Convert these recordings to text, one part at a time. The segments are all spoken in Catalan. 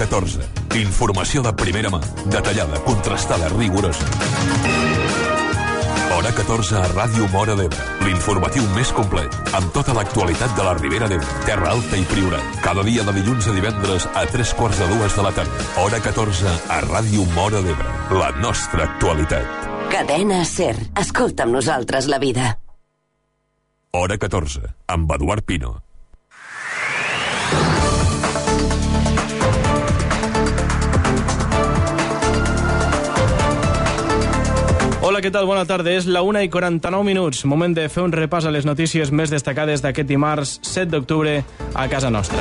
14. Informació de primera mà, detallada, contrastada, rigorosa. Hora 14 a Ràdio Móra d'Ebre. L'informatiu més complet, amb tota l'actualitat de la Ribera d'Ebre, Terra Alta i Priorat. Cada dia de dilluns a divendres a 3:45 de la tarda. Hora 14 a Ràdio Móra d'Ebre. La nostra actualitat. Cadena SER. Escolta amb nosaltres la vida. Hora 14, amb Eduard Pino. Hola, què tal? Bona tarda. És la 1:49. Moment de fer un repàs a les notícies més destacades d'aquest dimarts 7 d'octubre a casa nostra.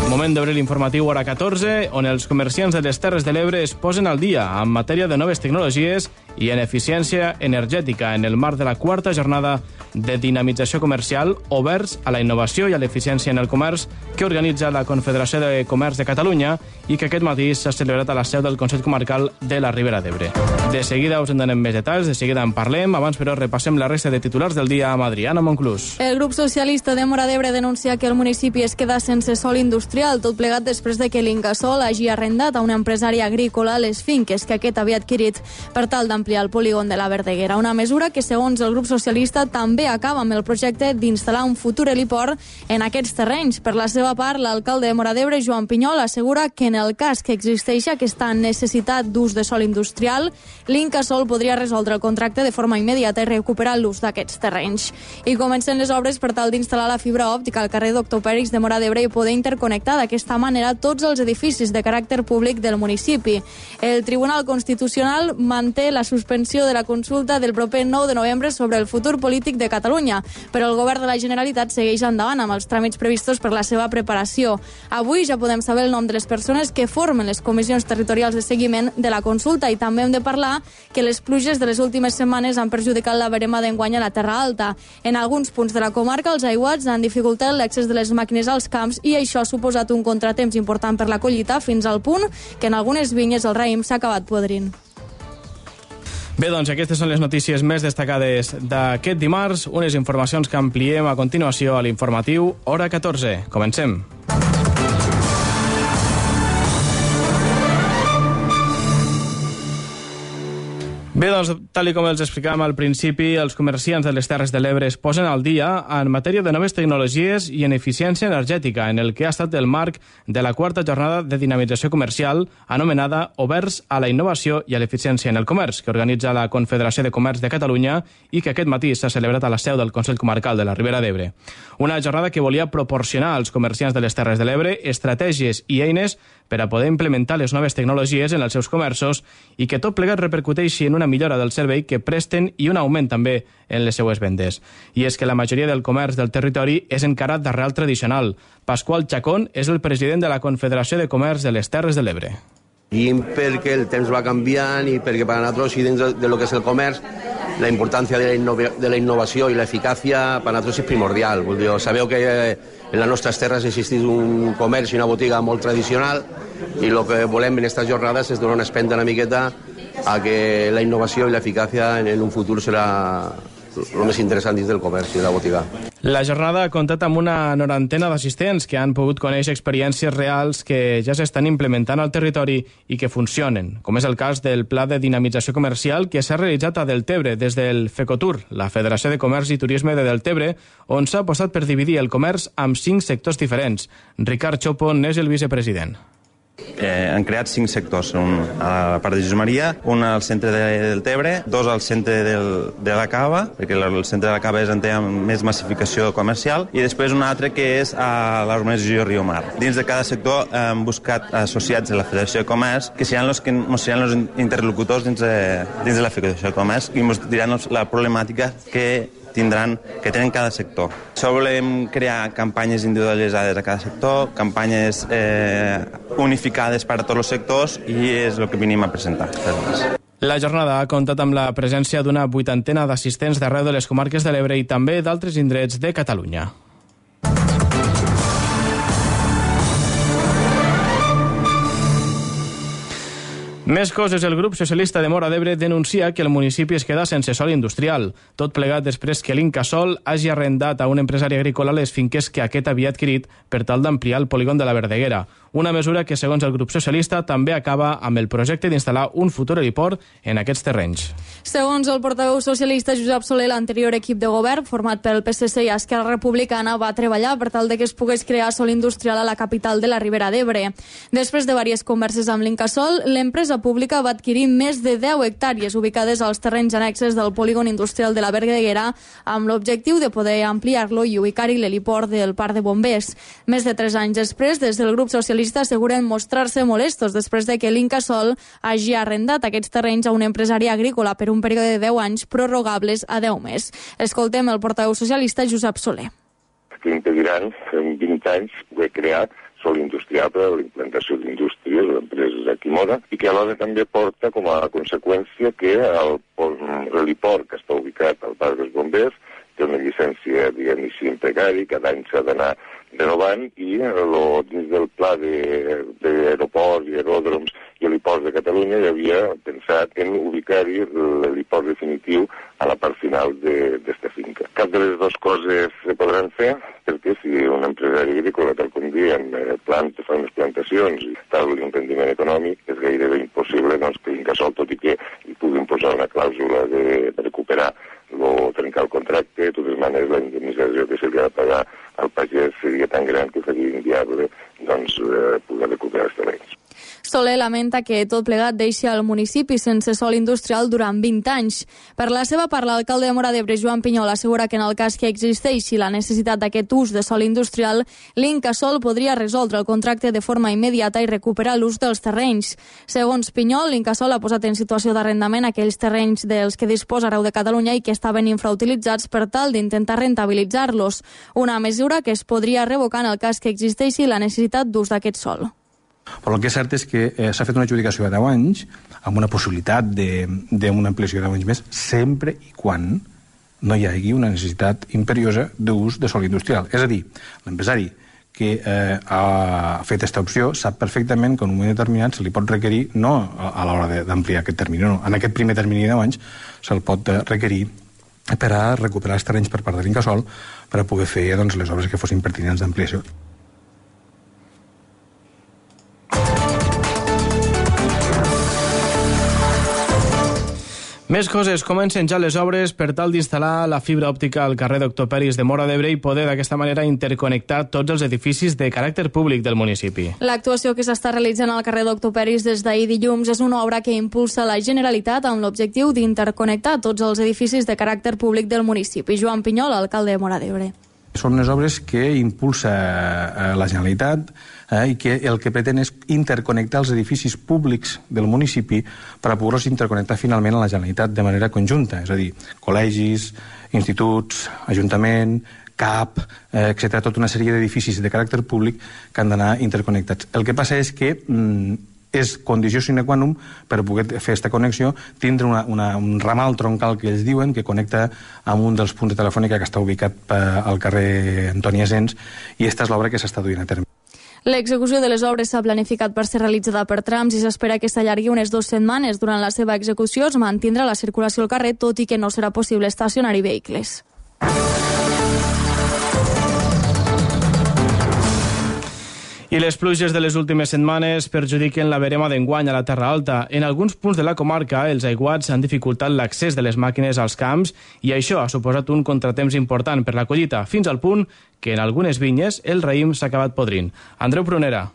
Moment d'obrir l'informatiu Hora 14, on els comerciants de les Terres de l'Ebre es posen al dia en matèria de noves tecnologies i en eficiència energètica en el marc de la 4ª jornada de dinamització comercial oberts a la innovació i a l'eficiència en el comerç que organitza la Confederació de Comerç de Catalunya i que aquest matí s'ha celebrat a la seu del Consell Comarcal de la Ribera d'Ebre. De seguida us en donem més detalls, de seguida en parlem. Abans, però, repassem la resta de titulars del dia amb Adriana Monclús. El grup socialista de Móra d'Ebre denuncia que el municipi es queda sense sòl industrial, tot plegat després de que l'Incasòl hagi arrendat a un empresari agrícola les finques que aquest havia adquirit per tal d'ampliar el polígon de la Verdeguera. Una mesura que, segons el grup socialista, també acaba amb el projecte d'instal·lar un futur heliport en aquests terrenys. Per la seva part, l'alcalde de Móra d'Ebre, Joan Pinyol, assegura que en el cas que existeixi aquesta necessitat d'ús de sòl industrial, l'Incasòl podria resoldre el contracte de forma immediata i recuperar l'ús d'aquests terrenys. I comencen les obres per tal d'instal·lar la fibra òptica al carrer Doctor Pèrix de Móra d'Ebre i poder interconnectar d'aquesta manera tots els edificis de caràcter públic del municipi. El Tribunal Constitucional manté la suspensió de la consulta del proper 9 de novembre sobre el futur polític de Catalunya, però el govern de la Generalitat segueix endavant amb els tràmits previstos per la seva preparació. Avui ja podem saber el nom de les persones que formen les comissions territorials de seguiment de la consulta i també hem de parlar que les pluges de les últimes setmanes han perjudicat la verema d'enguany a la Terra Alta. En alguns punts de la comarca els aiguats han dificultat l'accés de les màquines als camps i això ha suposat un contratemps important per la collita fins al punt que en algunes vinyes el raïm s'ha acabat podrint. Bé, doncs aquestes són les notícies més destacades d'aquest dimarts, unes informacions que ampliem a continuació a l'informatiu Hora 14. Comencem. Bé, doncs, tal com els explicàvem al principi, els comerciants de les Terres de l'Ebre es posen al dia en matèria de noves tecnologies i en eficiència energètica, en el que ha estat el marc de la 4ª jornada de dinamització comercial anomenada Oberts a la innovació i a l'eficiència en el comerç, que organitza la Confederació de Comerç de Catalunya i que aquest matí s'ha celebrat a la seu del Consell Comarcal de la Ribera d'Ebre. Una jornada que volia proporcionar als comerciants de les Terres de l'Ebre estratègies i eines per a poder implementar les noves tecnologies en els seus comerços i que tot plegat repercuteixi en una millora del servei que presten i un augment també en les seues vendes. I és que la majoria del comerç del territori és encara d'arrel tradicional. Pasqual Chacón és el president de la Confederació de Comerç de les Terres de l'Ebre. I perquè el temps va canviant i perquè per a nosaltres i dins de lo que és el comerç la importància de la innovació i l'eficàcia per a nosaltres és primordial. Vull dir, sabeu que en les nostres terres existeix un comerç i una botiga molt tradicional i el que volem en aquestes jornades és donar una espenta una miqueta a que la innovació i l'eficàcia en un futur serà el més interessant dins del comerç i de la botiga. La jornada ha comptat amb una 90 d'assistents que han pogut conèixer experiències reals que ja s'estan implementant al territori i que funcionen, com és el cas del Pla de Dinamització Comercial que s'ha realitzat a Deltebre des del FECOTUR, la Federació de Comerç i Turisme de Deltebre, on s'ha apostat per dividir el comerç amb 5 sectors diferents. Ricard Chopo n'és el vicepresident. Han creat 5 sectors, un a la part de Jesús Maria, un al centre del Tebre, 2 al centre de la Cava, perquè el centre de la Cava és on té més massificació comercial, i després un altre que és a l'urbanització Riu Mar. Dins de cada sector hem buscat associats de la Federació de Comerç que seran els interlocutors dins de la Federació de Comerç i ens diran la problemàtica que tenen cada sector. Això volem crear campanyes individualitzades a cada sector, campanyes unificades per a tots els sectors i és el que venim a presentar. La jornada ha comptat amb la presència d'una 80 d'assistents d'arreu de les comarques de l'Ebre i també d'altres indrets de Catalunya. Més coses, el grup socialista de Móra d'Ebre denuncia que el municipi es queda sense sòl industrial, tot plegat després que l'Incasòl hagi arrendat a un empresari agrícola les finques que aquest havia adquirit per tal d'ampliar el polígon de la Verdeguera, una mesura que, segons el grup socialista, també acaba amb el projecte d'instal·lar un futur heliport en aquests terrenys. Segons el portaveu socialista Josep Soler, l'anterior equip de govern, format pel PSC i Esquerra Republicana, va treballar per tal de que es pogués crear sòl industrial a la capital de la Ribera d'Ebre. Després de diverses converses amb l'Incasòl, l'empresa pública va adquirir més de 10 hectàrees ubicades als terrenys annexes del polígon industrial de la Verguera amb l'objectiu de poder ampliar-lo i ubicar-hi l'heliport del Parc de Bombers. Més de 3 anys després, des del grup socialista asseguren mostrar-se molestos després de que l'Incasòl hagi arrendat aquests terrenys a un empresari agrícola per un període de 10 anys prorrogables a 10 més. Escoltem el portaveu socialista Josep Soler. Que impediran en 20 anys de crear sòl industrial per a la implantació d'indústries o d'empreses aquí Mora i que alhora també porta com a conseqüència que l'heliport que està ubicat al Parc dels Bombers té una llicència, diguem-ne així, en precari, cada any s'ha d'anar renovant i dins del pla d'aeroports i aeròdroms i heliports de Catalunya hi havia pensat en ubicar-hi l'heliport definitiu a la part final d'esta finca. Cap de les dues coses se podran fer perquè si un empresari agrícola, tal com diem, fa unes plantacions i tal l'emprendiment econòmic, és gairebé impossible que l'Incasòl, tot i que hi puguin posar una clàusula de recuperar o trencar el contracte, de totes maneres la indemnització que se li ha de pagar al pagès seria tan gran que seria inviable poder recuperar els terrenys. Soler lamenta que tot plegat deixi el municipi sense sòl industrial durant 20 anys. Per la seva part, l'alcalde de Móra d'Ebre, Joan Pinyol, assegura que en el cas que existeixi la necessitat d'aquest ús de sòl industrial, l'Incasòl podria resoldre el contracte de forma immediata i recuperar l'ús dels terrenys. Segons Pinyol, l'Incasòl ha posat en situació d'arrendament aquells terrenys dels que disposa arreu de Catalunya i que estaven infrautilitzats per tal d'intentar rentabilitzar-los. Una mesura que es podria revocar en el cas que existeixi la necessitat d'ús d'aquest sòl. Però el que és cert és que s'ha fet una adjudicació de 10 anys amb una possibilitat d'una ampliació de 10 anys més sempre i quan no hi hagi una necessitat imperiosa d'ús de sòl industrial. És a dir, l'empresari que ha fet aquesta opció sap perfectament que en un moment determinat se li pot requerir, no a l'hora d'ampliar aquest termini, no, en aquest primer termini de 10 anys se'l pot requerir per a recuperar els terrenys per part de l'Incasòl per a poder fer les obres que fossin pertinents d'ampliació. Més coses, comencen ja les obres per tal d'instal·lar la fibra òptica al carrer Doctor Peris de Móra d'Ebre i poder d'aquesta manera interconnectar tots els edificis de caràcter públic del municipi. L'actuació que s'està realitzant al carrer Doctor Peris des d'ahir dilluns és una obra que impulsa la Generalitat amb l'objectiu d'interconnectar tots els edificis de caràcter públic del municipi. Joan Pinyol, alcalde de Móra d'Ebre. Són les obres que impulsa la Generalitat i que el que pretén és interconnectar els edificis públics del municipi per a poder-los interconnectar finalment a la Generalitat de manera conjunta, és a dir, col·legis, instituts, ajuntament, CAP, etc., tota una sèrie d'edificis de caràcter públic que han d'anar interconnectats. El que passa és que és condició sine qua non per poder fer aquesta connexió tindre un ramal troncal que ells diuen que connecta amb un dels punts de telefònica que està ubicat al carrer Antoni Asens i aquesta és l'obra que s'està duint a terme. L'execució de les obres s'ha planificat per ser realitzada per trams i s'espera que s'allargui unes 2 setmanes. Durant la seva execució es mantindrà la circulació al carrer, tot i que no serà possible estacionar-hi vehicles. I les pluges de les últimes setmanes perjudiquen la verema d'enguany a la Terra Alta. En alguns punts de la comarca, els aiguats han dificultat l'accés de les màquines als camps i això ha suposat un contratemps important per la collita, fins al punt que en algunes vinyes el raïm s'ha acabat podrint. Andreu Prunera.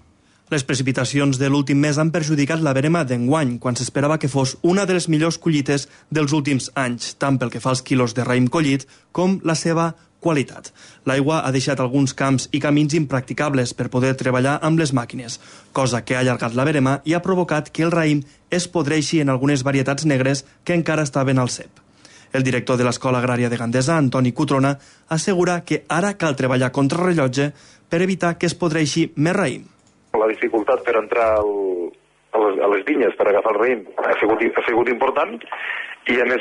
Les precipitacions de l'últim mes han perjudicat la verema d'enguany, quan s'esperava que fos una de les millors collites dels últims anys, tant pel que fa als quilos de raïm collit com la seva qualitat. L'aigua ha deixat alguns camps i camins impracticables per poder treballar amb les màquines, cosa que ha allargat la verema i ha provocat que el raïm es podreixi en algunes varietats negres que encara estaven al cep. El director de l'Escola Agrària de Gandesa, Antoni Cutrona, assegura que ara cal treballar contra rellotge per evitar que es podreixi més raïm. La dificultat per entrar a les vinyes per agafar el raïm ha sigut important i, a més,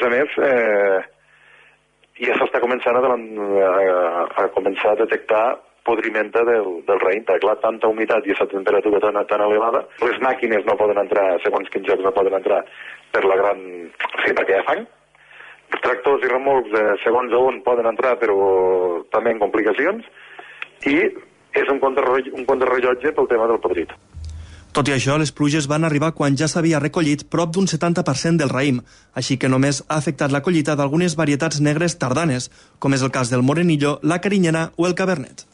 ja s'està començant a començar a detectar podrimenta del raïm, perquè clar, tanta humitat i aquesta temperatura tan elevada, les màquines no poden entrar, segons quins jocs no poden entrar perquè hi ha fang. Els tractors i remolcs, segons on poden entrar, però també en complicacions, i és un contrarrellotge pel tema del podrit. Tot i això, les pluges van arribar quan ja s'havia recollit prop d'un 70% del raïm, així que només ha afectat la collita d'algunes varietats negres tardanes, com és el cas del morenillo, la carinyena o el cabernet.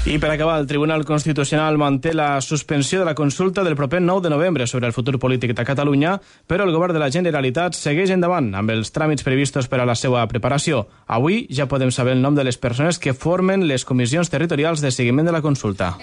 I per acabar, el Tribunal Constitucional manté la suspensió de la consulta del proper 9 de novembre sobre el futur polític de Catalunya, però el govern de la Generalitat segueix endavant amb els tràmits previstos per a la seva preparació. Avui ja podem saber el nom de les persones que formen les comissions territorials de seguiment de la consulta.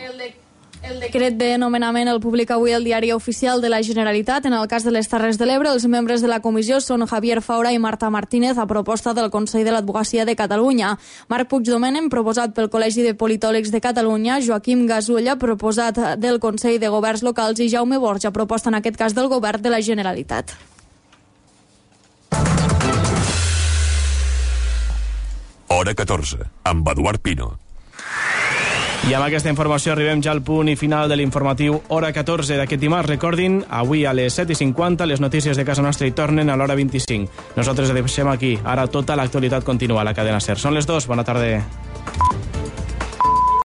El decret de nomenament el publica avui el Diari Oficial de la Generalitat. En el cas de les Terres de l'Ebre, els membres de la comissió són Javier Faura i Marta Martínez, a proposta del Consell de l'Advocacia de Catalunya. Marc Puigdomènech, proposat pel Col·legi de Politòlegs de Catalunya, Joaquim Gasulla, proposat del Consell de Governs Locals, i Jaume Borja, proposta en aquest cas del Govern de la Generalitat. Hora 14, amb Eduard Pino. I amb aquesta informació arribem ja al punt i final de l'informatiu Hora 14 d'aquest dimarts. Recordin, avui a les 7:50 les notícies de casa nostra hi tornen a l'hora 25. Nosaltres deixem aquí. Ara tota l'actualitat continua a la cadena SER. Són les 2. Bona tarda.